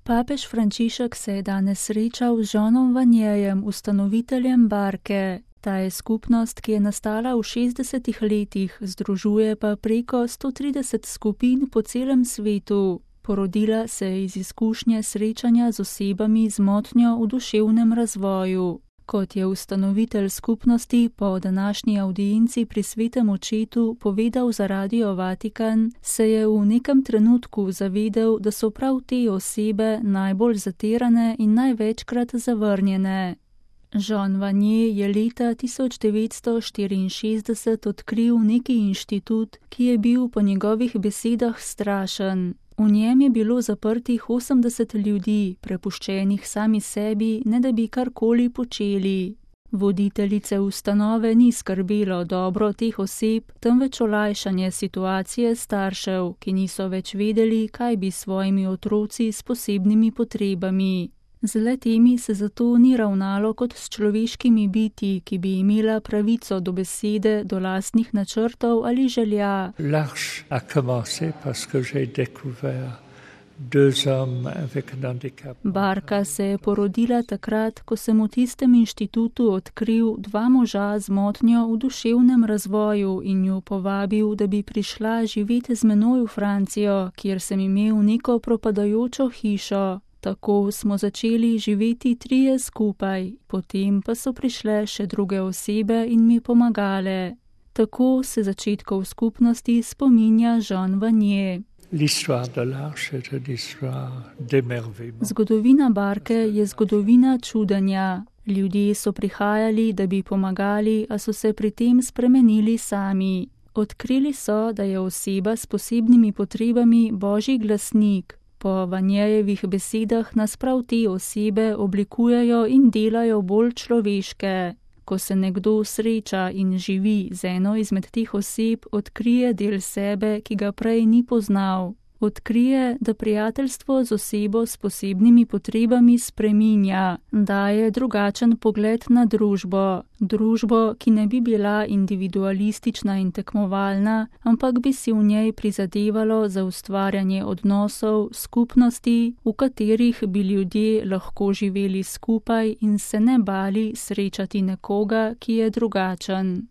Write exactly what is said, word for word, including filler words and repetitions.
Papež Frančišek se je danes srečal z Jeanom Vanierjem, ustanoviteljem Barke. Ta je skupnost, ki je nastala v šestdesetih letih, združuje pa preko sto trideset skupin po celem svetu. Porodila se je iz izkušnje srečanja z osebami z motnjo v duševnem razvoju. Kot je ustanovitelj skupnosti po današnji avdienci pri Svetem očetu povedal za Radio Vatikan, se je v nekem trenutku zavedel, da so prav te osebe najbolj zatirane in največkrat zavrnjene. Jean Vanier je leta tisoč devetsto štiriinšestdeset odkril neki inštitut, ki je bil po njegovih besedah strašen. V njem je bilo zaprtih osemdeset ljudi, prepuščenih sami sebi, ne da bi karkoli počeli. Voditeljice ustanove ni skrbelo dobro teh oseb, temveč olajšanje situacije staršev, ki niso več vedeli, kaj bi s svojimi otroci s posebnimi potrebami. Z le-temi se zato ni ravnalo kot s človeškimi bitji, ki bi imela pravico do besede, do lastnih načrtov ali želja. L'arche a commencé parce que j'ai découvert deux hommes avec un handicap. Barka se je porodila takrat, ko sem v tistem inštitutu odkril dva moža z motnjo v duševnem razvoju in ju povabil, da bi prišla živeti z menoj v Francijo, kjer sem imel neko propadajočo hišo. Tako smo začeli živeti trije skupaj, potem pa so prišle še druge osebe in mi pomagale. Tako se začetkov skupnosti spominja Jean Vanier. Zgodovina Barke je zgodovina čudenja. Ljudje so prihajali, da bi pomagali, a so se pri tem spremenili sami. Odkrili so, da je oseba s posebnimi potrebami Božji glasnik. Po Vanierjevih besedah nas prav te osebe oblikujejo in delajo bolj človeške. Ko se nekdo sreča in živi z eno izmed teh oseb, odkrije del sebe, ki ga prej ni poznal. Odkrije, da prijateljstvo z osebo s posebnimi potrebami spreminja, daje drugačen pogled na družbo. Družbo, ki ne bi bila individualistična in tekmovalna, ampak bi si v njej prizadevalo za ustvarjanje odnosov, skupnosti, v katerih bi ljudje lahko živeli skupaj in se ne bali srečati nekoga, ki je drugačen.